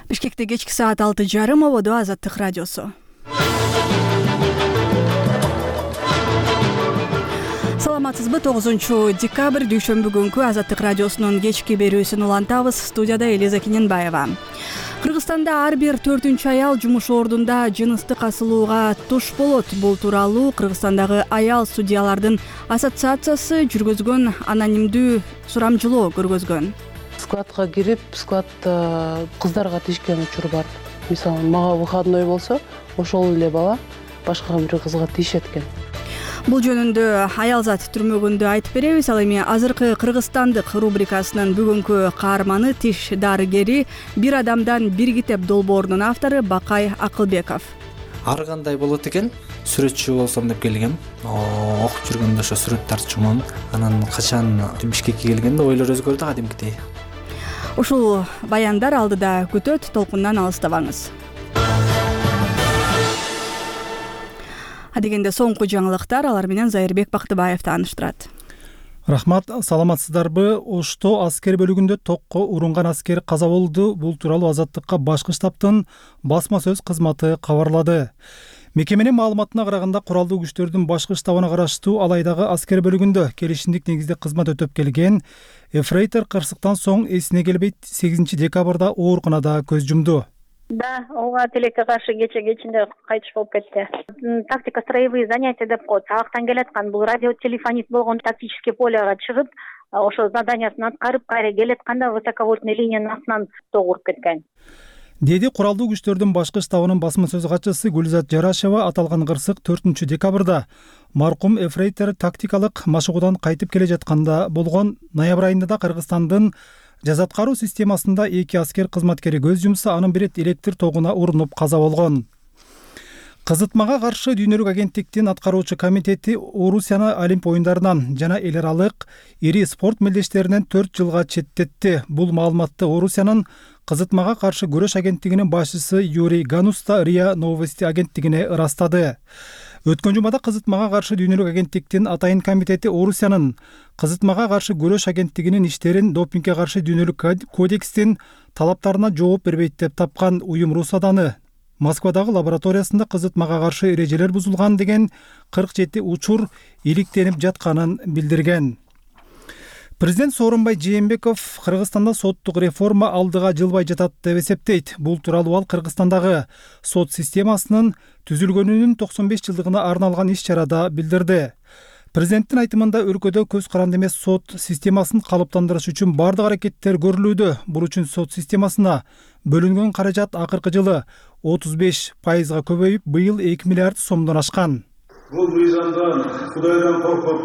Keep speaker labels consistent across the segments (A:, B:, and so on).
A: Бишкекте кечки саат 6:30 ободо Азаттык радиосу. Саламатсызбы? 9-декабрь дүйшөмбү күнкү Азаттык радиосунун кечки берүүсүн улантабыз. Студияда Элиза Киненбаева. Кыргызстанда ар бир 4-чү аял жумуш ордунда жыныстык асылууга туш болот. Бул тууралуу Кыргызстандагы аял судьялардын ассоциациясы жүргөзгөн анонимдүү сурамжылоо көргөзгөн.
B: Складка кирип, складда кыздарга тишкен учур бар. Мисалы, мага выходной болсо, ошол эле бала башка бир кызга тишет экен.
A: Бул жөнүндө Аялзат түрмөгүндө айтып беребиз. Ал эми азыркы Кыргызстандык рубрикасынын бүгүнкү каарманы тиш дарыгери, бир адамдан бир китеп долбоорунун автору Бакай Акылбеков.
C: Ар кандай болот экен? Сүрөтчү болсом деп келгем. Окуп жүргөндө ошо сүрөт тартчумун. Анан качан Бишкекке келгенде ойлор өзгөрдү кадимкидей.
A: Ушул баяндар алдыда күтөт, толкундан алыстабаңыз. Адегенде соңку жаңылыктар, алар менен Зайырбек Бактыбаев тааныштырат.
D: Рахмат, саламатсыздарбы? Ошто аскер бөлүгүндө токко урунган аскер каза болду. Бул тууралуу Азаттыкка башкы штабтын басма сөз кызматы кабарлады. Мекеменин маалыматына караганда, куралдуу күчтөрдүн башкы штабына караштуу Алайдагы аскер бөлүгүндө келишимдик негизде кызмат өтөп келген эфрейтор кырсыктан соң эсине келбей 8-декабрда ооруканада көз жумду.
E: Да, ооба тилекке каршы кечинде кайтыш болуп кетти. Тактика строевые занятия деп коет. Сабактан келаткан бул радиотелефонист болгон тактический полега чыгып, ошо заданиясын аткарып, кайра келатканда высоковольтный линиянын астынан ток уруп кеткен.
D: Деди куралдуу күчтөрдүн башкы штабынын басма сөз катчысы Гүлзат Жарашева. Аталган кырсык 4-декабрда маркум эфрейтор тактикалык машыгуудан кайтып келе жатканда болгон. Ноябрь айында да Кыргызстандын жаза аткаруу системасында 2 аскер кызматкери көз жумса, анын бири электр тогуна урунуп каза болгон. Кызытмага каршы дүйнөлүк агенттиктин аткаруучу комитети Орусияны Олимп оюндарынан жана эл аралык ири спорт мелдештеринен 4 жылга четтетти. Бул маалыматты Орусиянын кызытмага каршы күрөш агенттигинин башчысы Юрий Гануста РИА Новости агенттигине ырастады. Өткөн жумада кызытмага каршы дүйнөлүк агенттиктин атайын комитети Орусиянын кызытмага каршы күрөш агенттигинин иштерин допингге каршы дүйнөлүк кодекстин талаптарына жооп бербейт деп тапкан. Уюм Русаданы Москвадагы лабораториясында кызытмага каршы эрежелер бузулган деген 47 учур иликтенип жатканын билдирген. Президент Сооронбай Жээнбеков Кыргызстанда соттук реформа алдыга жылбай жатат деп эсептейт. Бул тууралуу ал Кыргызстандагы сот системасынын түзүлгөнүнүн 95 жылдыгына арналган иш-чарада билдирди. Президенттин айтымында өлкөдө көз каранды эмес сот системасын калыптандырыш үчүн бардык аракеттер көрүлүүдө. Бул үчүн сот системасына бөлүнгөн каражат акыркы жылы 35% көбөйүп, быйыл 2 миллиард сомдон ашкан.
F: Бул мыйзамдан Кудайдан коркуп,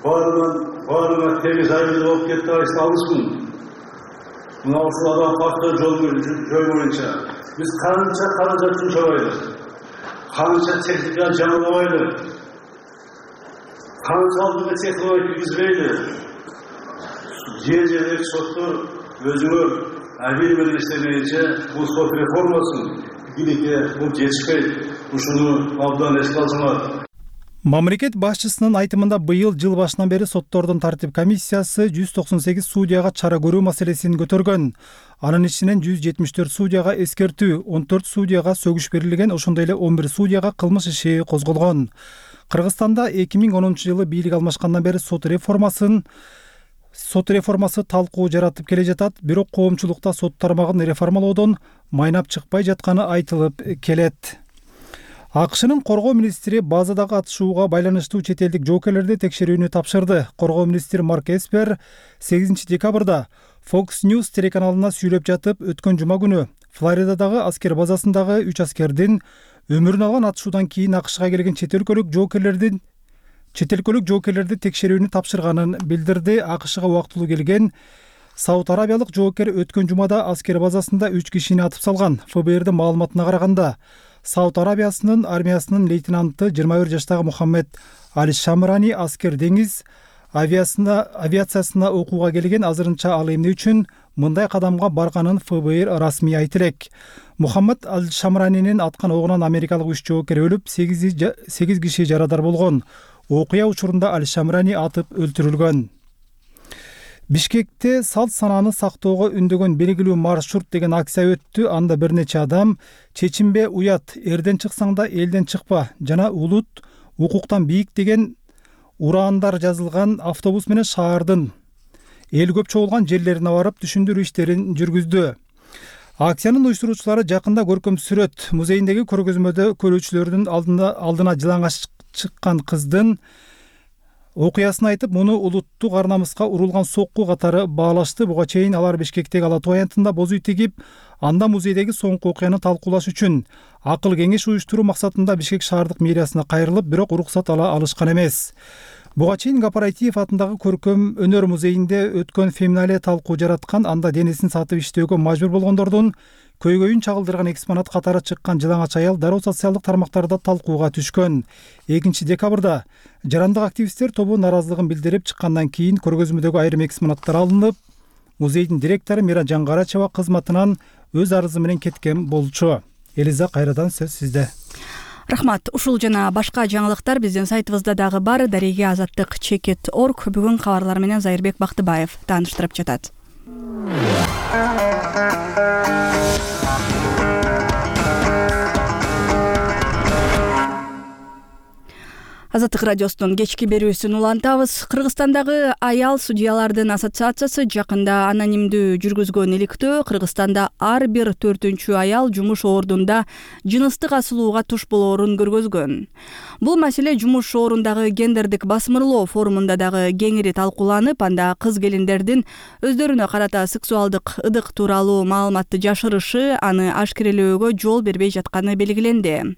F: баарына тегиз айыл болуп кетти алышмын. Мына ушул адам факты жол боюнча биз канча каражат жумшабайлы, канча техника жаңылабайлы, канчалык технология киргизбейли. Жер соттор өзүңөр бир менен иштемейинче бул сот реформасын биликке бул жетишпейт. Ушуну абдан эске алсаңар.
D: Мамлекет башчысынын айтымында быйыл жыл башынан бери соттордун тартип комиссиясы 198 судьяга чара көрүү маселесин көтөргөн. Анын ичинен 174 судьяга эскертүү, 14 судьяга сөгүш берилген, ошондой эле 11 судьяга кылмыш иши козголгон. Кыргызстанда 2010-жылы бийлик алмашкандан бери сот реформасы талкуу жаратып келе жатат, бирок коомчулукта сот тармагын реформалоодон майнап чыкпай жатканы айтылып келет. АКШнын коргоо министри базадагы атышууга байланыштуу чет элдик жоокерлерди текшерүүнү тапшырды. Коргоо министри Марк Эспер 8-декабрда Fox News телеканалына сүйлөп жатып, өткөн жума күнү Флоридадагы аскер базасындагы 3 аскердин өмүрүн алган атышуудан кийин АКШга келген чет өлкөлүк жоокерлерди текшерүүнү тапшырганын билдирди. АКШга убактылуу келген Сауд Арабиялык жоокер өткөн жумада аскер базасында 3 кишини атып салган. ФБРдин маалыматына караганда, Сауд Арабиясынын армиясынын лейтенанты 21 жаштагы Мухаммед Аль-Шамрани аскер деңиз авиациясына окууга келген. Азырынча ал эмне үчүн мындай кадамга барганын ФБР расмий айтып элек. Мухаммед Аль-Шамранинин аткан огунан америкалык 3 жоокер өлүп, 8 киши жарадар болгон. Окуя учурунда Аль-Шамрани атып өлтүрүлгөн. Бишкекте салт санааны сактоого үндөгөн белгилүү маршрут деген акция өттү. Анда бир нече адам чечинбе уят, эрден чыксаң да элден чыкпа жана улут укуктан бийик деген ураандар жазылган автобус менен шаардын эл көп чогулган жерлерине барып түшүндүрүү иштерин жүргүздү. Акциянын уюштуруучулары жакында көркөм сүрөт музейиндеги көргөзмөдө көрүүчүлөрдүн алдына жылаңач чыккан кыздын окуясын айтып, муну улуттук ар намыска урулган сокку катары баалашты. Буга чейин алар Бишкектеги Ала Тоо аянтында боз үй тигип, анда музейдеги соңку окуяны талкуулаш үчүн акыл кеңеш уюштуруу максатында Бишкек шаардык мэриясына кайрылып, бирок уруксат ала алышкан эмес. Буга чейин Гапаратиев атындагы көркөм өнөр музейинде өткөн феминалия талкуу жараткан, анда денесин сатып иштөөгө мажбур болгондордун көйгөйүн чагылдырган экспонат катары чыккан жылаңач аял дароо социалдык тармактарда талкууга түшкөн. 2 декабрда жарандык активисттер тобу нааразылыгын билдирип чыккандан кийин көргөзмөдөгү айрым экспонаттар алынып, музейдин директору Мира Жаңгарачева кызматынан өз арызы менен кеткен болчу. Элиза, кайрадан сөз сизде.
A: Рахмат. Ушул жана башка жаңылыктар биздин сайтыбызда дагы бар. Дареге Азаттык @org. Бүгүн кабарлар менен Зайырбек Бактыбаев тааныштырып жатат. Азаттык радиосунун кечки берүүсүн улантабыз. Кыргызстандагы аял судьялардын ассоциациясы жакында анонимдүү жүргүзгөн иликтөө Кыргызстанда ар бир 4-чү аял жумуш ордунда жыныстык асылууга туш болоорун көргөзгөн. Бул маселе жумуш орундагы гендердик басмырлоо форумунда дагы кеңири талкууланып, анда кыз келиндердин өздөрүнө карата сексуалдык ыдык тууралуу маалыматты жашырышы, аны ашкерелөөгө жол бербей жатканы белгиленди.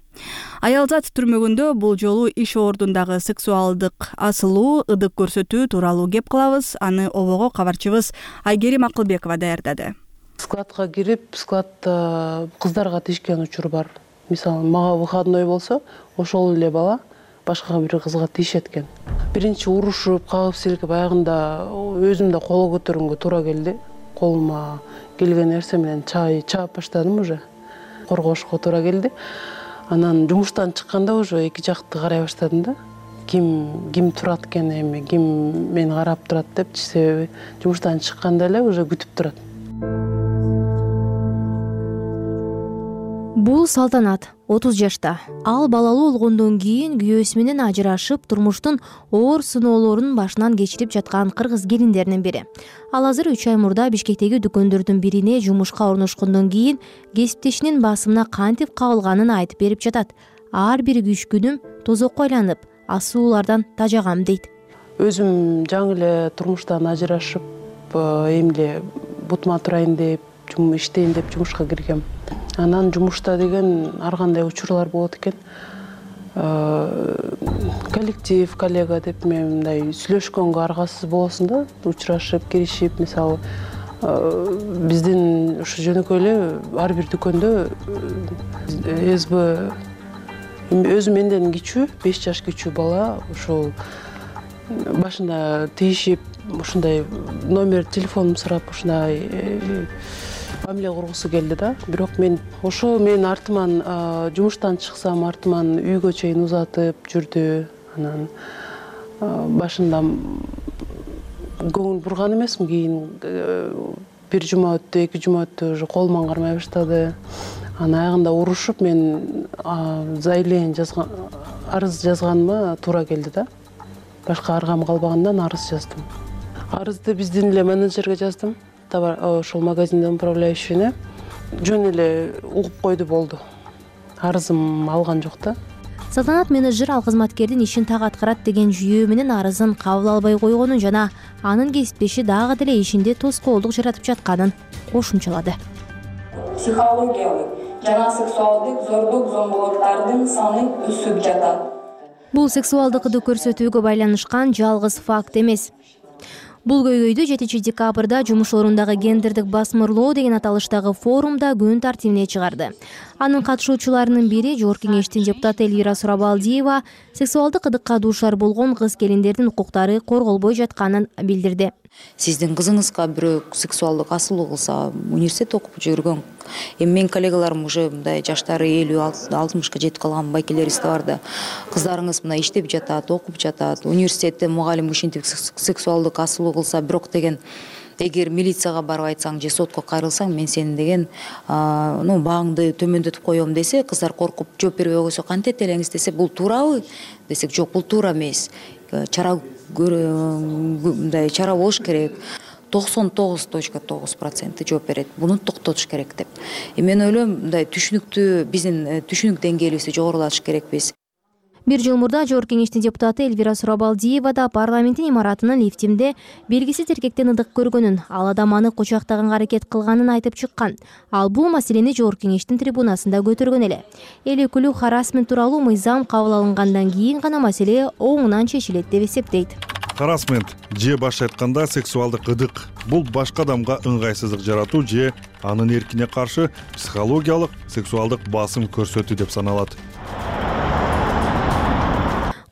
A: Аялзат түрмөгүндө бул жолу иш ордундагы сексуалдык асылуу, ыдык көрсөтүү тууралуу кеп кылабыз. Аны обого кабарчыбыз Айгерим Акылбекова даярдады.
B: Складка кирип, складта кыздарга тиешкен учур бар. Мисалы, мага выходной болсо, ошол эле бала башка бир кызга тиешет экен. Биринчи урушуп, кагып силкип, аягында өзүм да кол көтөргөнгө туура келди. Колума келген нерсе менен чаап баштадым уже. Коргошко туура келди. Анан жумуштан чыкканда уже эки жакты карай баштадым да. Ким турат экен, эми ким мени карап турат депчи, себеби жумуштан чыкканда эле уже күтүп турат.
G: Бул Салтанат, 30 жашта. Ал балалуу болгондон кийин күйөөсү менен ажырашып, турмуштун оор сыноолорун башынан кечирип жаткан кыргыз келиндеринин бири. Ал азыр 3 ай мурда Бишкектеги дүкөндөрдүн бирине жумушка орношкондон кийин кесиптешинин басымына кантип кабылганын айтып берип жатат. Ар бир күч күнүм тозокко айланып, асуулардан тажагам дейт.
B: Өзүм жаңы эле турмуштан ажырашып, эмне бутума турайын деп, иштейин деп жумушка киргем. Анан жумушта деген ар кандай учурлар болот экен. Коллектив, коллега деп мындай сүйлөшкөнгө аргасыз болосуң да, учурашып, киришип, мисалы, биздин ушу жөнөкөй эле ар бир дүкөндө СБ өзү менден кичүү, 5 жаш кичүү бала ошол башында тийишип, ушундай номер телефонумду сурап, ушундай мамиле кургусу келди да. Бирок мен ошо менин артыман жумуштан чыксам, артыман үйгө чейин узатып жүрдү. Анан башында көңүл бурган эмесмин, кийин бир жума өттү, 2 жума өттү, уже колуман кармай баштады. Анан аягында урушуп, мен заявление жазган, арыз жазганыма туура келди да. Башка аргам калбагандан арыз жаздым. Арызды биздин эле менеджерге жаздым. Ошол магазиндин управляющийне жөн эле угуп койду, болду. Арызым алган жок да.
G: Салтанат менеджер ал кызматкердин ишин так аткарат деген жүйөө менен арызын кабыл албай койгонун жана анын кесиптеши дагы деле ишинде тоскоолдук жаратып жатканын кошумчалады.
H: Психологиялык жана сексуалдык зордук зомбулуктардын саны өсүп жатат.
G: Бул сексуалдык ыдык көрсөтүүгө байланышкан жалгыз факт эмес. Бул көйгөйдү 7 декабрда жумуш орундагы гендердик басмырлоо деген аталыштагы форумда күн тартибине чыгарды. Анын катышуучуларынын бири Жогорку кеңештин депутаты Элвира Сурабалдиева сексуалдык ыдыкка дуушар болгон кыз келиндердин укуктары корголбой жатканын билдирди.
I: Сиздин кызыңызга бирөө сексуалдык асылуу кылса, университет окуп жүргөн, эми менин коллегаларым уже мындай жаштары 50-60 жетип калган байкелерист бар да. Кыздарыңыз мына иштеп жатат, окуп жатат, университетте мугалим ушинтип сексуалдык асылуу кылса, бирок деген эгер милицияга барып айтсаң же сотко кайрылсаң, мен сени деген бааңды төмөндөтүп коем десе, кыздар коркуп жооп бербей койсо кантет элеңиз десе, бул туурабы десек, жок, бул туура эмес. Чара болуш керек. 99.9% жооп берет. Буну токтотуш керек деп. Мен ойлойм, мындай биздин түшүнүк деңгээлибизди жогорулатыш керекпиз.
G: Бир жыл мурда Жогорку Кеңештин депутаты Элвира Сурабалдиева да парламенттин имаратынын лифтинде белгисиз эркектен ыдык көргөнүн, ал адам аны кучактаганга аракет кылганын айтып чыккан. Ал бул маселени Жогорку Кеңештин трибунасында көтөргөн эле. Эл өкүлү харасмент тууралуу мыйзам кабыл алынгандан кийин гана маселе оңунан чечилет деп эсептейт.
J: Харасмент же башка айтканда сексуалдык ыдык бул башка адамга ыңгайсыздык жаратуу же анын эркине каршы психологиялык сексуалдык басым көрсөтүү деп саналат.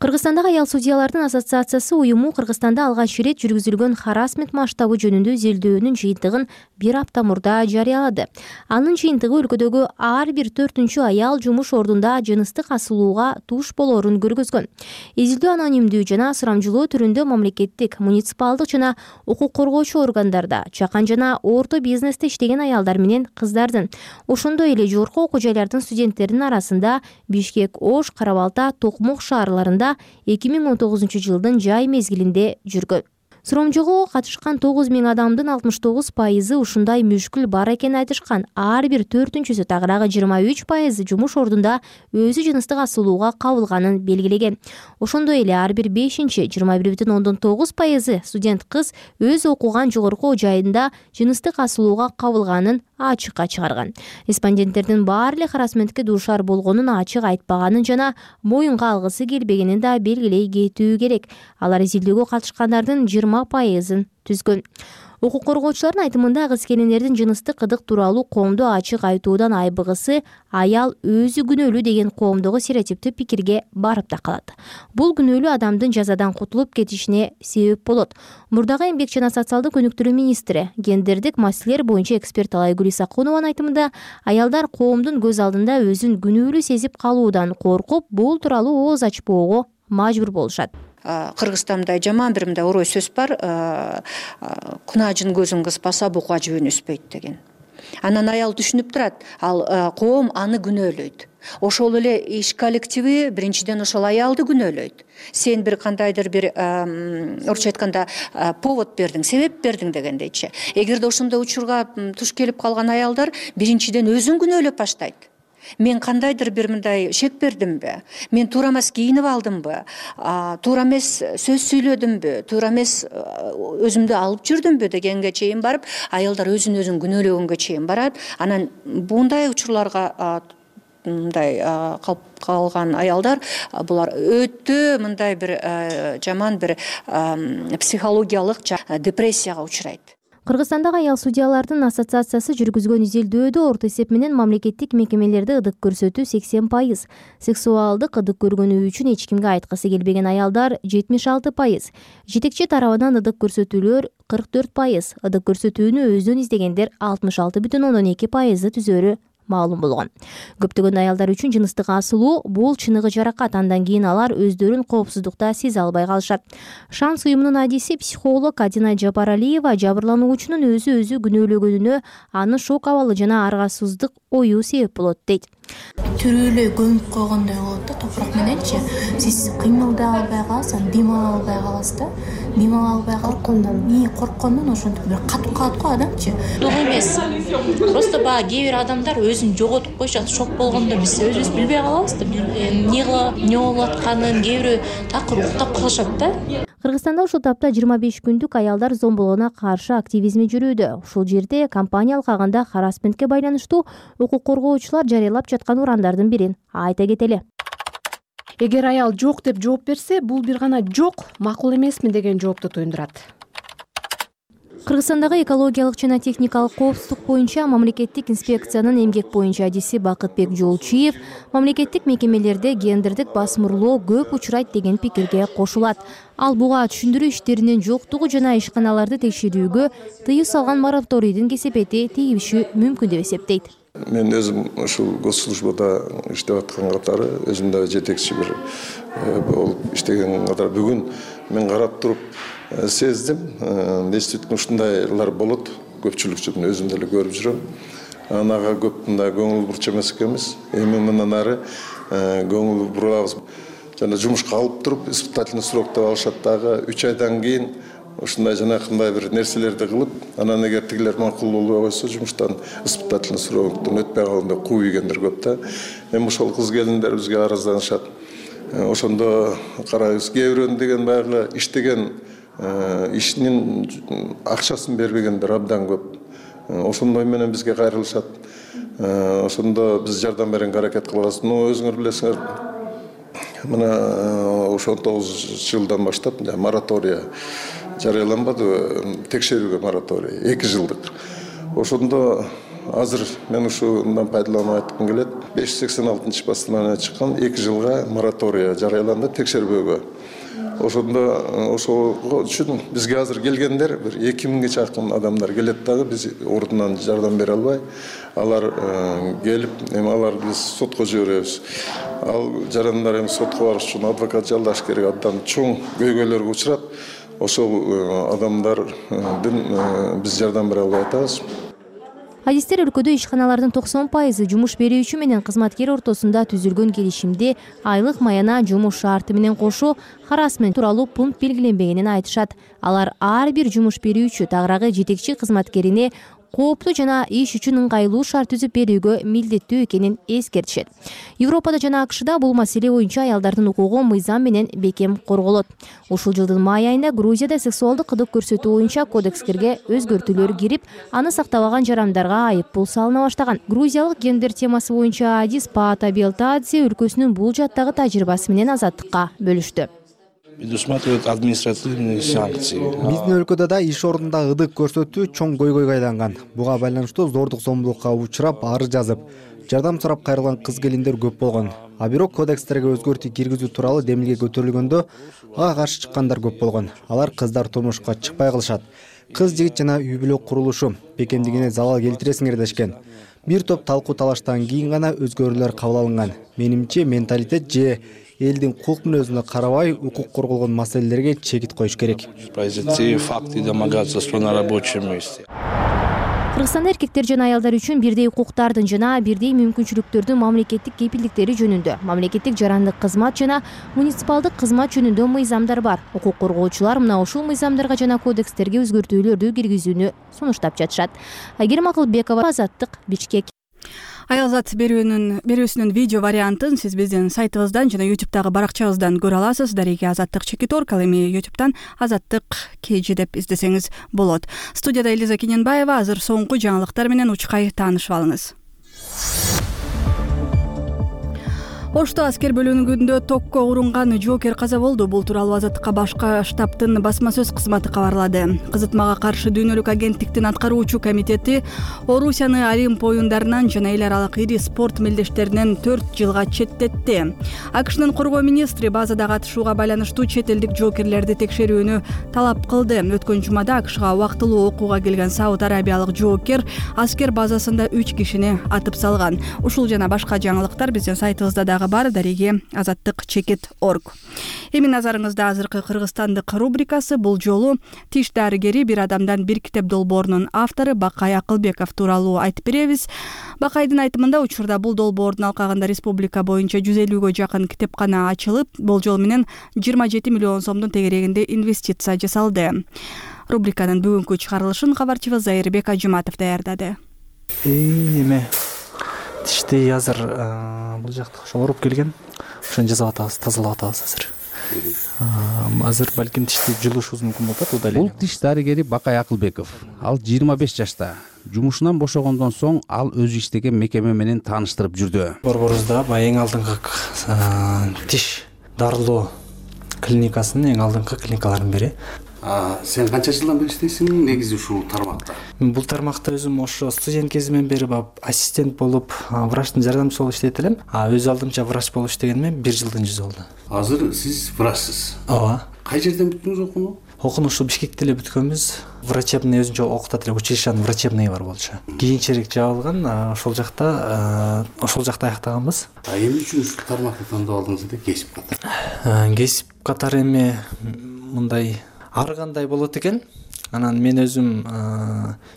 G: Кыргызстандагы аял судьялардын ассоциациясы уюму Кыргызстанда алгач ирет жүргүзүлгөн харасмент масштабы жөнүндө изилдөөнүн жыйынтыгын бир апта мурда жарыялады. Анын жыйынтыгы өлкөдөгү ар бир 4-чү аял жумуш ордунда жыныстык асылууга туш болоорун көргөзгөн. Изилдөө анонимдүү жана сурамжылоо түрүндө мамлекеттик, муниципалдык жана укук коргоочу органдарда, чакан жана орто бизнесте иштеген аялдар менен кыздардын, ошондой эле жогорку окуу жайлардын студенттеринин арасында Бишкек, Ош, Кара-Балта, Токмок шаарларында 2019 жылдын жай мезгилинде жүргөн. Сурамжоого катышкан 9000 адамдын 69% ушундай мүшкүл бар экенин айтышкан. Ар бир 4-чүсү тагыраагы 23% жумуш ордунда өзү жыныстык асылууга кабылганын белгилеген. Ошондой эле ар бир 5-чи 21,9% студент кыз өз окуган жогорку жайында жыныстык асылууга кабылганын ачыкка чыгарган. Респонденттердин баары эле харасментке дуушар болгонун ачык айтпаганын жана моюнга алгысы келбегенин да белгилей кетүү керек. Алар изилдөөгө катышкандардын 20%-ын түзгөн. Укук коргоочулардын айтымында кыз-келиндердин жыныстык ыдык тууралуу коомдо ачык айтуудан айбыгысы аял өзү күнөөлүү деген коомдогу стереотиптүү пикирге барып да калат. Бул күнөөлүү адамдын жазадан кутулуп кетишине себеп болот. Мурдагы эмгек жана социалдык өнүктүрүү министри, гендердик маселелер боюнча эксперт Алайгүл Исакунованын айтымында, аялдар коомдун көз алдында өзүн күнөөлүү сезип калуудан коркуп, бул тууралуу ооз ачпоого мажбур болушат.
K: Кыргызстанда жаман бир мындай орой сөз бар, кунаажын көзүн кыспаса бука жөөнү өспөйт деген. Анан аял түшүнүп турат, ал коом аны күнөөлөйт. Ошол эле иш коллективи биринчиден ошол аялды күнөөлөйт. Сен бир кандайдыр бир орусча айтканда повод бердиң, себеп бердиң дегендейчи. Эгерде ошондой учурга туш келип калган аялдар биринчиден өзүн күнөөлөп баштайт. Мен кандайдыр бир мындай шек бердимби? Мен туура эмес кийинип алдымбы? Туура эмес сөз сүйлөдүмбү? Туура эмес өзүмдү алып жүрдүмбү дегенге чейин барып, аялдар өзүн күнөөлөгөнгө чейин барат. Анан мындай учурларга мындай калган аялдар булар өтө мындай бир жаман бир психологиялык депрессияга учурайт.
G: Кыргызстандагы аял судьялардын ассоциациясы жүргүзгөн изилдөөдө орто эсеп менен мамлекеттик мекемелерде ыдык көрсөтүү 80%, сексуалдык ыдык көргөнү үчүн эч кимге айткысы келбеген аялдар 76%, жетекчи тарабынан ыдык көрсөтүүлөр 44%, ыдык көрсөтүүнү өздөн издегендер 66,2% түзөөрү маалым болгон. Көптөгөн аялдар үчүн жыныстык асылуу бул чыныгы жаракат, андан кийин алар өздөрүн коопсуздукта сезе албай калышат. Шанс уюмунун адиси психолог Адина Жапаралиева жабырлануучунун өзү күнөөлөгөнүнө аны шок абалы жана аргасыздык ою себеп болот дейт.
L: Түрүүлөй көмүп койгондой болот да, топурак мененчи. Сиз кыймылдай албай каласыз, дем ала албай каласыз да. Дем ала албай корккондон ошентип бир катып калат го адамчы.
M: Ток эмес. Просто кээ бир адамдар өзүн жоготуп коюшат, шок болгондо биз өзүбүз билбей калабыз да. Эмне болуп атканын кээ бирөө такыр уктап калышат да.
G: Кыргызстанда ушул тапта 25 күндүк аялдар зомбулугуна каршы активизми жүрүүдө. Ушул жерде компания алкагында харасментке байланыштуу укук коргоочулар жарыялап жаткан урандардын бирин айта кетели.
B: Эгер аял жок деп жооп берсе, бул бир гана жок, макул эмесмин деген жоопту туюндурат.
G: Кыргызстандагы экологиялык жана техникалык коопсуздук боюнча мамлекеттик инспекциянын эмгек боюнча адиси Бакытбек Жолчиев мамлекеттик мекемелерде гендердик басмырлоо көп учурайт деген пикирге кошулат. Ал буга түшүндүрүү иштеринин жоктугу жана ишканаларды текшерүүгө тыюу салган мораторийдин кесепети тийиши мүмкүн деп эсептейт.
N: Мен өзүм ушул госслужбада иштеп аткан катары өзүм да жетекчи бир болуп иштеген катары бүгүн мен карап туруп сездим. Действительно ушундайлар болот. Көпчүлүкчүдүн өзүм деле көрүп жүрөм. Анага көп мындай көңүл бурчу эмес экенбиз. Эми мындан ары көңүл бурабыз. Жана жумушка алып туруп испытательный срок деп алышат дагы 3 айдан кийин ушундай жанакындай бир нерселерди кылып, анан эгер тигилер макул болбой койсо жумуштан испытательный сроктон өтпөй калган деп кууп ийгендер көп да. Эми ошол кыз келиндер бизге аразданышат. Ошондо карайбыз, кээ бирөөнүн деген баягы иштеген ишинин акчасын бербегендер абдан көп. Ошондой менен бизге кайрылышат. Ошондо биз жардам беренге аракет кылабыз. Өзүңөр билесиңер, мына 19 жылдан баштап моратория жарыяланбады, текшерүүгө мораторий 2 жылдык. Ошондо азыр мен ушундан пайдаланып айткым келет. 586 басылманы чыккан 2 жылга моратория жарыяланды текшербөөгө. Ошондо ошол үчүн бизге азыр келгендер бир 2000ге чакын адамдар келет дагы, биз ордунан жардам бере албай, алар келип, эми аларды биз сотко жиберебиз. Ал жарандар эми сотко барыш үчүн адвокат жалдаш керек, абдан чоң көйгөйлөргө учурап, ошол адамдардын биз жардам бере албай атабыз.
G: Адистер өлкөдө ишканалардын 90% жумуш берүүчү менен кызматкер ортосунда түзүлгөн келишимде айлык маяна жумуш шарты менен кошо харассмент тууралуу пункт белгиленбегенин айтышат. Алар ар бир жумуш берүүчү тагыраагы жетекчи кызматкерине кооптуу жана иш үчүн ыңгайлуу шарт түзүп берүүгө милдеттүү экенин эскертишет. Европада жана АКШда бул маселе боюнча аялдардын укугу мыйзам менен бекем корголот. Ушул жылдын май айында Грузияда сексуалдык кызык көрсөтүү боюнча кодекстерге өзгөртүүлөр кирип, аны сактабаган жарандарга айыппул салына баштаган. Грузиялык гендер темасы боюнча адис Паата Белтадзе өлкөсүнүн бул жаттагы тажрыйбасы менен Азаттыкка бөлүштү.
O: Предусматривает административные санкции.
P: Биздин өлкөдө да иш ордунда ыдык көрсөтүү чоң көйгөйгө айланган. Буга байланыштуу зордук зомбулукка учурап, арыз жазып, жардам сурап кайрылган кыз келиндер көп болгон. А бирок кодекстерге өзгөртүү киргизүү тууралуу демилге көтөрүлгөндө ага каршы чыккандар көп болгон. Алар кыздар турмушка чыкпай калышат. Кыз жигит жана үй бүлө курулушу бекемдигине залал келтиресиңер дешкен. Бир топ талкуу талаштан кийин гана өзгөрүүлөр кабыл алынган. Менимче менталитет же элдин кулк мүнөзүнө карабай укук корголгон маселелерге чекит коюш керек.
O: Произойти факты домогательства на рабочем месте.
G: Кыргызстанда эркектер жана аялдар үчүн бирдей укуктардын жана бирдей мүмкүнчүлүктөрдүн мамлекеттик кепилдиктери жөнүндө, мамлекеттик жарандык кызмат жана муниципалдык кызмат жөнүндө мыйзамдар бар. Укук коргоочулар мына ушул мыйзамдарга жана кодекстерге өзгөртүүлөрдү киргизүүнү сунуштап жатышат. Айгерим Акылбекова, Азаттык, Бишкек.
A: Аялзат берүүсүнүн видео вариантын сиз биздин сайтыбыздан жана YouTube'дагы баракчабыздан көрө аласыз. Дареги Азаттык Чекиторг, ал эми YouTube'дан Азаттык KG деп издесеңиз болот. Студияда Элиза Кененбаева. Азыр соңку жаңылыктар менен учкай таанышып алыңыз. Ошто аскер бөлүнгүндө токко урунган жоокер каза болду. Бул тууралуу Азаттыкка башка штабтын басма сөз кызматы кабарлады. Кызытмага каршы дүйнөлүк агенттиктин аткаруучу комитети Орусияны Олимп оюндарынан жана эл аралык ири спорт мелдештеринен 4 жылга четтетти. АКШнын коргоо министри базада катышууга байланыштуу чет элдик жоокерлерди текшерүүнү талап кылды. Өткөн жумада АКШга убактылуу окууга келген Сауд Арабиялык жоокер аскер базасында 3 кишини атып салган. Ушул жана башка жаңылыктар биздин сайтыбызда дагы бар. Дареги Азаттык Чекит.орг. Эми назарыңызда азыркы кыргызстандык рубрикасы. Бул жолу тиш дарыгери бир адамдан бир китеп долбоорунун автору Бакай Акылбеков тууралуу айтып беребиз. Бакайдын айтымында учурда бул долбоордун алкагында республика боюнча 150гө жакын китепкана ачылып, болжол менен 27 миллион сомдун тегерегинде инвестиция жасалды. Рубриканын бүгүнкү чыгарылышын кабарчыбыз Зайырбек Ажыматов даярдады.
C: Эме тишти азыр бул жакта ошо ооруп келген. Ошону жасап атабыз, тазалап атабыз азыр. Азыр балким тишти жулушубуз мүмкүн болот да дале.
Q: Бул тиш дарыгери Бакай Акылбеков. Ал 25 жашта. Жумушунан бошогондон соң ал өзү иштеген мекеме менен тааныштырып жүрдү.
C: Борборубузда эң алдыңкы тиш дарылоо клиникасынын эң алдыңкы клиникалардын бири.
Q: Сен канча жылдан бери иштейсиң негизи ушул тармакта?
C: Бул тармакта өзүм ошо студент кезимден бери ассистент болуп, врачтын жардамчысы болуп иштейт элем. Өз алдымча врач болуп иштегениме 1 жылдын жүзү болду.
Q: Азыр сиз врачсыз.
C: Ооба.
Q: Кай жерден бүттүңүз окууну?
C: Окууну ушул Бишкекте эле бүткөнбүз. Врачебный өзүнчө окутат эле, училищанын врачебный бар болчу. Кийинчерээк жабылган, ошол жакта аяктаганбыз.
Q: Эмне үчүн ушул тармакты тандап алдыңыз эле кесип катары?
C: Кесип катары эми мындай ар кандай болот экен. Анан мен өзүм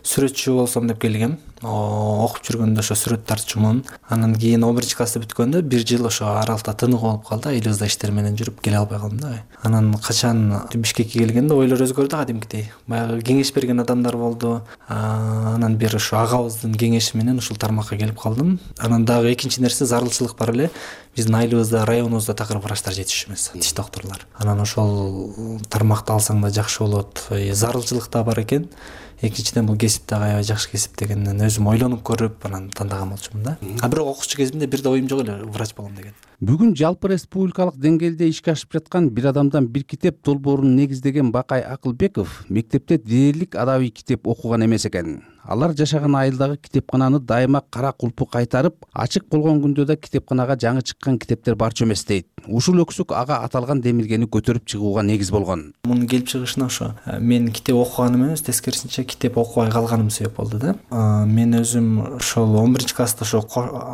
C: сүрөтчү болсом деп келгем. Окуп жүргөндө ошо сүрөт тартчумун. Анан кийин 11-классты бүткөндө 1 жыл ошо аралыкта тынык болуп калды. Элибизде иштер менен жүрүп келе албай калдым да. Анан качан Бишкекке келгенде ойлор өзгөрдү кадимкидей. Баягы кеңеш берген адамдар болду. Анан бир ошо агабыздын кеңеши менен ушул тармакка келип калдым. Анан дагы экинчи нерсе зарылчылык бар эле. Биздин айылыбызда, районубузда такыр врачтар жетишип эмес, тиш доктурлар. Анан ошол тармакты алсаң да жакшы болот. Зарылчылык да бар экен. Экинчиден бул кесип дагы аябай жакшы кесип дегенден өзүм ойлонуп көрүп анан тандаган болчумун да. Бирок окуучу кезимде бир да оюм жок эле врач болом деген.
Q: Бүгүн жалпы республикалык деңгээлде ишке ашып жаткан бир адамдан бир китеп долбоорун негиздеген Бакай Акылбеков мектепте дээрлик адабий китеп окуган эмес экен. Алар жашаган айылдагы китепкананы дайыма кара кулпу кайтарып, ачык болгон күндө да китепканага жаңы чыккан китептер барчу эмес дейт. Ушул өксүк ага аталган демилгени көтөрүп чыгууга негиз болгон.
C: Мунун келип чыгышына ошо мен китеп окуганым эмес, тескерисинче китеп окубай калганым себеп болду да. Мен өзүм ошол 11-класста ошо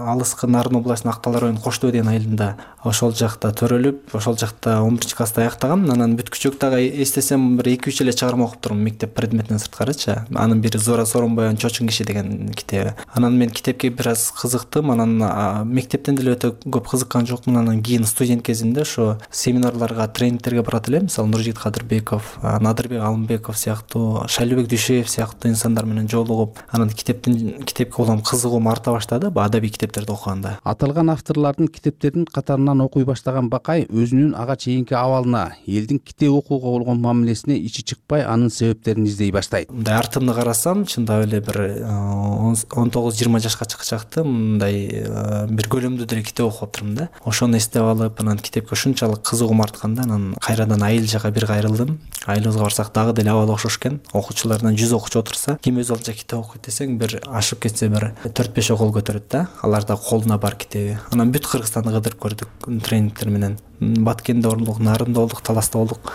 C: алыскы Нарын областынын Актал районунун Коштөө деген айылында ошол жакта төрөлүп, ошол жакта 11-классты аяктагам. Анан бүткүчөк дагы эстесем бир 2-3 эле чыгарма окуп турмун мектеп предметинен сырткарычы. Анын бири Зора Сооронбаеванын Чочун киши деген китеби. Анан мен китепке бир аз кызыктым. Анан мектептен деле өтө көп кызыккан жокмун. Анан кийин студент кезимде ошо семинарларга, тренингтерге барат элем. Мисалы Нуржигит Кадырбеков, Надырбек Алымбеков сыяктуу, Шайлыбек Дүйшеев сыяктуу инсандар менен жолугуп, анан китепке улам кызыгуум арта баштады. Адабий китептерди окуганда.
Q: Аталган авторлордун китептерин катарынан окуй баштаган Бакай өзүнүн ага чейинки абалына, элдин китеп окууга болгон мамилесине ичи чыкпай, анын себептерин издей баштайт.
C: Мындай артымды карасам, чындап эле бир 19-20 жашка чыкчакты мындай бир көлөмдүү деле китеп окуп атырмын да. Ошону эстеп алып, анан китепке ушунчалык кызыгуум артканда, анан кайрадан айыл жака бир кайрылдым. Айылыбызга барсак дагы деле абал окшош экен. Окуучулардан 100 окуучу отурса, ким өз алдынча китеп окуйт десең, бир ашып кетсе бир 4-5 кол көтөрөт да. Аларда колуна бар китеби. Анан бүт Кыргызстанды кыдырып көрдүк тренингтер менен. Баткенде болдук, Нарында болдук, Таласта болдук.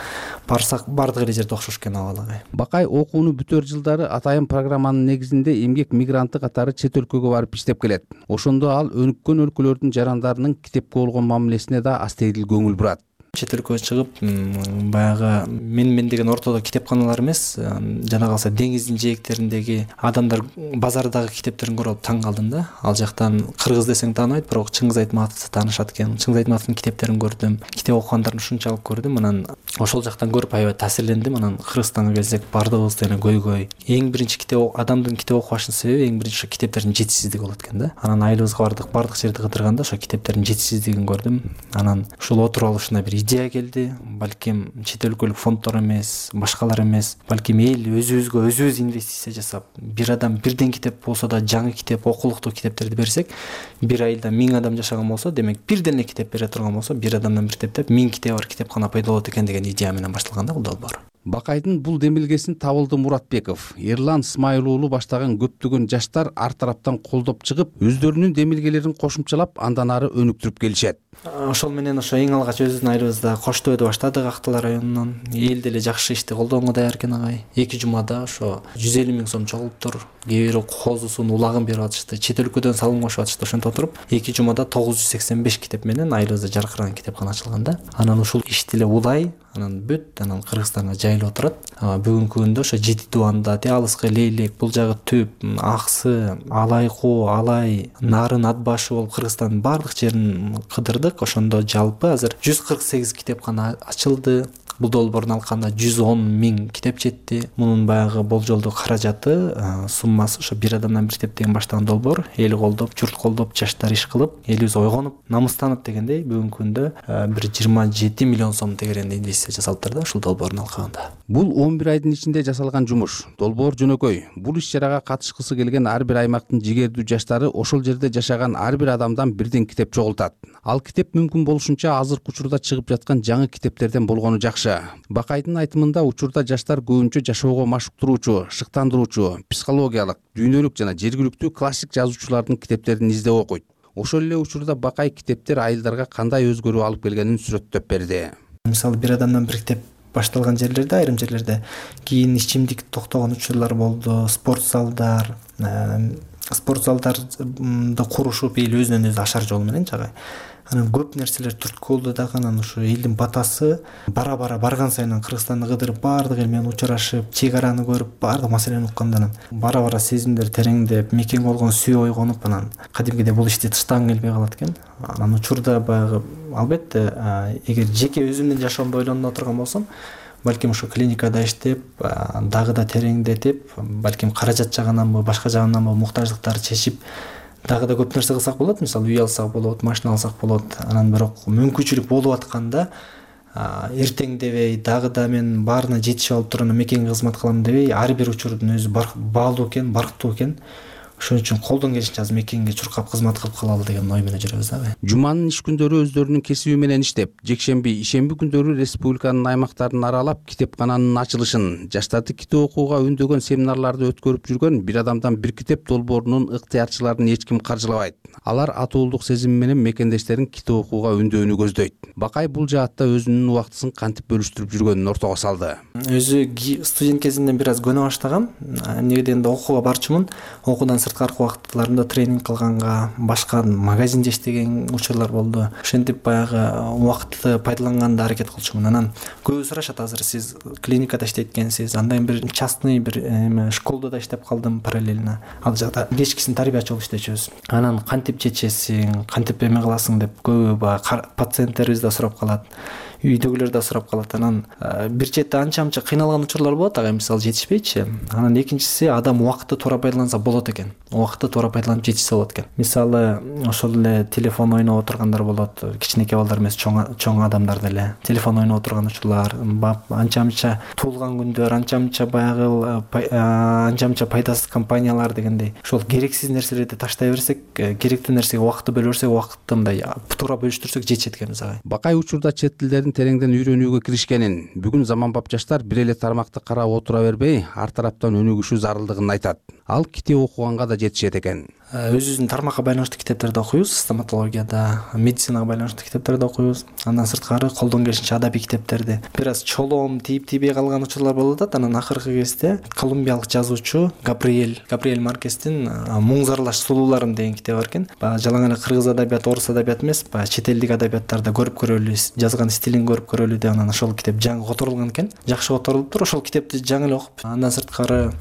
C: Барсак бардык эле жерде окшош экен абалы.
Q: Бакай окууну бүтөр жылдары атайын программанын негизинде эмгек мигранты катары чет өлкөгө барып иштеп келет. Ошондо ал өнүккөн өлкөлөрдүн жарандарынын китепке болгон мамилесине да астейдил көңүл бурат.
C: Чет өлкөгө чыгып, баягы мен деген ортодо китепканалар эмес, жана калса деңиздин жээктериндеги адамдар базардагы китептерин көрүп таң калдым да. Ал жактан кыргыз десең тааныбайт, бирок Чыңгыз Айтматовду таанышат экен. Чыңгыз Айтматовдун китептерин көрдүм, китеп окугандарын ушунчалык көрдүм. Анан ошол жактан көрүп аябай таасирлендим. Анан Кыргызстанга келсек, бардыгыбыз деле көйгөй. Эң биринчи адамдын китеп окубашынын себеби эң биринчи китептердин жетишсиздиги болот экен да. Анан айылыбызга бардык жерди кыдырганда ошо китептердин жетишсиздигин көрдүм. Анан ушул отуруп алышына бир идея келди. Балким чет өлкөлүк фонддор эмес, башкалар эмес, балким эл өзүбүз инвестиция жасап, бир адам бирден китеп болсо да жаңы китеп, окулуктуу китептерди берсек, бир айылда 1000 адам жашаган болсо, демек бирден эле китеп бере турган болсо, бир адамдан бир китептеп 1000 китеби бар китепкана пайда болот экен деген идея менен башталган да бул долбоор.
Q: Бакайдын бул демилгесин Табылды Муратбеков, Эрлан Смайыл уулу баштаган көптөгөн жаштар ар тараптан колдоп чыгып, өздөрүнүн демилгелерин кошумчалап, андан ары өнүктүрүп келишет.
C: Ошол менен ошо эң алгач өзүбүздүн айылыбызда Коштөөдө баштадык, Актал районунан. Эл деле жакшы ишти колдоого даяр экен агай. 2 жумада ошо 150 000 сом чогулуптур. Кээ бири козусун, улагын берип атышты. Чет өлкөдөн салым кошуп атышты. Ошентип отуруп 2 жумада 985 китеп менен айылыбызда жаркыраган китепкана ачылган да. Анан ушул ишти эле улай, анан бүт, анан Кыргызстанга жайылып отурат. Бүгүнкү күндө ошо Жети Дубанда, Алыскы Лейлек, бул жагы Түп, Аксы, Алайкуу, Алай, Нарын, Атбашы болуп Кыргызстандын бардык жерин кыдырдык. Ошондо жалпы азыр 148 китепкана ачылды. Бул долбоорун алганда 110 000 китеп жетти. Мунун баягы болжолдуу каражаты, суммасы ошо бир адамдан бир китеп деген баштаган долбоор. Эл колдоп, журт колдоп, жаштар иш кылып, элибиз ойгонуп, намыстанып дегендей бүгүнкү күндө бир 27 миллион сом тегеренде инвестиция жасалыптыр да ушул долбоорун алганда.
Q: Бул 11 айдын ичинде жасалган жумуш. Долбоор жөнөкөй. Бул иш-чарага катышкысы келген ар бир аймактын жигердүү жаштары ошол жерде жашаган ар бир адамдан бирден китеп чогултат. Ал китеп мүмкүн болушунча азыркы учурда чыгып жаткан жаңы китептерден болгону жакшы. Бакайдын айтымында учурда жаштар көбүнчө жашоого машыктыруучу, шыктандыруучу, психологиялык, дүйнөлүк жана жергиликтүү классик жазуучулардын китептерин издеп окуйт. Ошол эле учурда Бакай китептер айылдарга кандай өзгөрүү алып келгенин сүрөттөп берди.
C: Мисалы бир адамдан бир китеп башталган жерлерде, айрым жерлерде кийин ичимдик токтогон учурлар болду, спорт залдарда курушуп эл өзүнөн өзү ашар жол менен жагай. Анан көп нерселер түрткү болду дагы. Анан ушу элдин батасы бара барган сайын Кыргызстанды кыдырып, баардык эл менен учурашып, чек араны көрүп, баардык маселени укканда анан бара сезимдер тереңдеп, мекең болгон сүйүү ойгонуп, анан кадимкидей бул ишти таштагың келбей калат экен. Анан учурда баягы албетте эгер жеке өзүмдүн жашоомду ойлонуп отурган болсом, балким ушу клиникада иштеп, дагы да тереңдетип, балким каражат жагынанбы, башка жагынанбы муктаждыктарды чечип дагы да көп нерсе кылсак болот. Мисалы үй алсак болот, машина алсак болот. Анан бирок мүмкүнчүлүк болуп атканда эртең дебей, дагы да мен баарына жетишип алып туруп мекенге кызмат кылам дебей, ар бир учурдун өзү баалуу экен, барктуу экен. Ошон үчүн колдон келишинче азыр мекенге чуркап кызмат кылып калалы деген ой менен жүрөбүз дагы.
Q: Жуманын иш күндөрү өздөрүнүн кесиби менен иштеп, жекшемби, ишемби күндөрү республиканын аймактарын аралап, китепкананын ачылышын, жаштарды китеп окууга үндөгөн семинарларды өткөрүп жүргөн бир адамдан бир китеп долбоорунун ыктыярчыларын эч ким каржылабайт. Алар атуулдук сезим менен мекендештерин китеп окууга үндөөнү көздөйт. Бакай бул жаатта өзүнүн убактысын кантип бөлүштүрүп жүргөнүн ортого салды.
C: Өзү студент кезинен бир аз көнө баштагам. Эмнеге дегенде окууга барчумун. Окуудан сырткаркы убакыттарымда тренинг кылганга, башка магазинде иштеген учурлар болду. Ошентип баягы убакытты пайдаланганга аракет кылчумун. Анан көбү сурашат, азыр сиз клиникада иштейт экенсиз, андан бир частный бир школда да иштеп калдым параллельно. Ал жакта кечкисин тарбиячы болуп иштечүбүз. Анан кантип чечесиң, кантип эме кыласың деп көбү пациенттерибиз да сурап калат. Үйдөгүлөр да сурап калат. Анан бир четте анча кыйналган учурлар болот, ага мисалы жетишпейчи. Анан экинчиси, адам убакытты туура пайдаланса болот экен. Убакытты туура пайдаланып жетишсе болот экен. Мисалы ошол эле телефон ойноп отургандар болот, кичинекей балдар эмес, чоң адамдар деле телефон ойноп отурган учурлар, анча туулган күндөр, анча баягы анча пайдасыз компаниялар дегендей. Ошол керексиз нерселерди таштай берсек, керектүү нерсеге убакытты бөлө берсек, убакытты мындай туура бөлүштүрсөк жетишет экенбиз ага.
Q: Бакай учурда чет тилдерин тереңден үйрөнүүгө киришкенин, бүгүн заманбап жаштар бир эле тармакты карап отура бербей, ар тараптан өнүгүшүү зарылдыгын айтат. Ал китеп окуганга да жетишет экен. Өзүбүздүн
C: тармакка байланыштуу китептерди окуйбуз, стоматологияда, медицинага байланыштуу китептерди окуйбуз. Андан сырткары колдон келишинче адабий китептерди. Бир аз чолоом тийбей калган учурлар болуп атат. Анан акыркы кезде колумбиялык жазуучу Габриэль Маркестин Муң зарлаш сулууларым деген китеби бар экен. Жалаң эле кыргыз адабияты, орус адабияты эмес, чет элдик адабияттарды көрүп көрөлү, жазган стилин көрүп көрөлү деп анан ошол китеп жаңы которулган экен. Жакшы которулуптур. Ошол китепти жаңы эле окуп, андан сырткары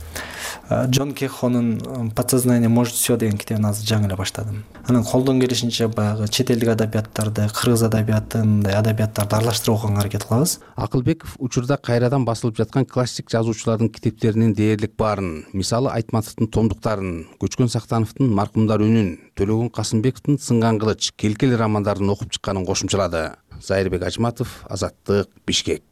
C: Джон Кехонун «Подсознание может все» деген китебин азыр жаңы эле баштадым. Анан колдон келишинче баягы чет элдик адабияттарды, кыргыз адабиятын, мындай адабияттарды аралаштырып окуганга аракет кылабыз.
Q: Акылбеков учурда кайрадан басылып жаткан классик жазуучулардын китептеринин дээрлик баарын, мисалы Айтматовдун томдуктарын, Көчкөн Сактановдун Маркумдар үнүн, Төлөгөн Касымбековдун Сынган кылыч, Келкел романдарын окуп чыкканын кошумчалады. Зайырбек Ажматов, Азаттык, Бишкек.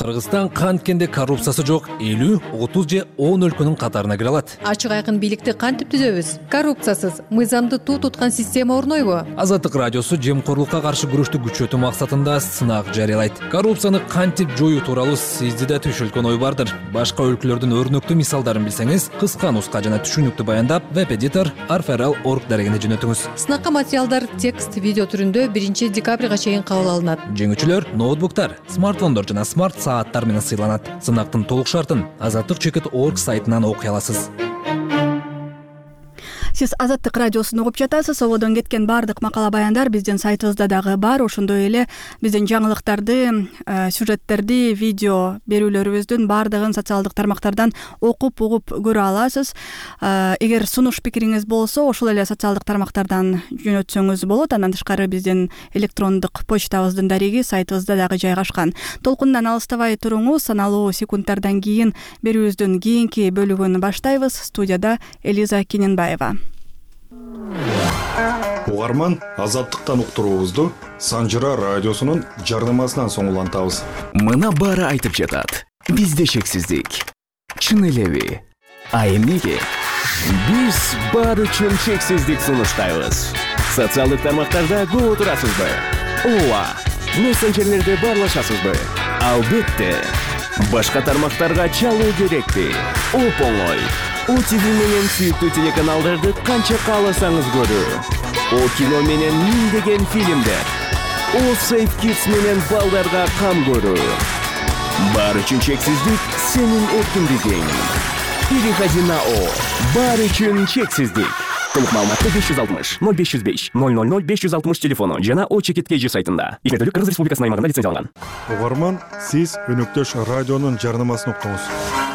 R: Кыргызстан канткенде коррупциясы жок 50, 30 же 10 өлкөнүн катарына кире алат.
S: Ачык айкын бийликти кантип түзөбүз? Коррупциясыз, мыйзамды туу туткан система орнойбу?
R: Азаттык радиосу жемкорлукка каршы күрөштү күчөтүү максатында сынак жарыялайт. Коррупцияны кантип жоюу тууралуу сизде да түшүлгөн ой бардыр. Башка өлкөлөрдүн өрнөктүү мисалдарын билсеңиз, кыска нуска жана түшүнүктүү баяндап, веб-эдитор arferal.org дарегине жөнөтүңүз.
S: Сынакка материалдар текст, видео түрүндө 1 декабрга чейин кабыл алынат.
R: Жеңүүчүлөр ноутбуктар, смартфондор жана смарт сааттар менен сыйланат. Сынактын толук шартын azattik.org сайтынан окуй аласыз.
A: Сиз Азаттык радиосун угуп жатасыз. Ободон кеткен баардык макала баяндар биздин сайтыбызда дагы бар. Ошондой эле биздин жаңылыктарды, сюжеттерди, видео берүүлөрүбүздүн баардыгын социалдык тармактардан окуп, угуп көрө аласыз. Эгер сунуш пикириңиз болсо, ошол эле социалдык тармактардан жөнөтсөңүз болот. Андан тышкары биздин электрондук почтабыздын дареги сайтыбызда дагы жайгашкан. Толкундан алыстабай туруңуз. Саналуу секундтардан кийин берүүбүздүн кийинки бөлүгүн баштайбыз. Студияда Элиза Кененбаева.
J: Угарман, Азаттыктан уктуруубузду Санжыра радиосунун жардамасынан соң улантабыз.
T: Мына баары айтып жатат. Бизде шексиздик. Чын элеби? А эмнеге? Биз баары үчүн шексиздик сунуштайбыз. Социалдык тармактарда көп отурасызбы? Ооба. Мессенджерлерде баарлашасызбы? Албетте. Башка тармактарга чалуу керекпи? Оп-оңой. ОТВ менен сүйүктүү телеканалдарды канча кааласаңыз көрүү. О кино менен миңдеген фильмдер. О Safe Kids менен балдарга кам көрүү. Баары үчүн чексиздик сенин эркиндигиң. Переходи на О. Баары үчүн чексиздик. Толук маалыматты 560 0505 000 560 телефону жана О Чекиткейжи сайтында. Игерделик Кыргыз Республикасынын аймагында лицензияланган.
J: Угарман, сиз Өнөктөш радионун жарнамасын уктуңуз.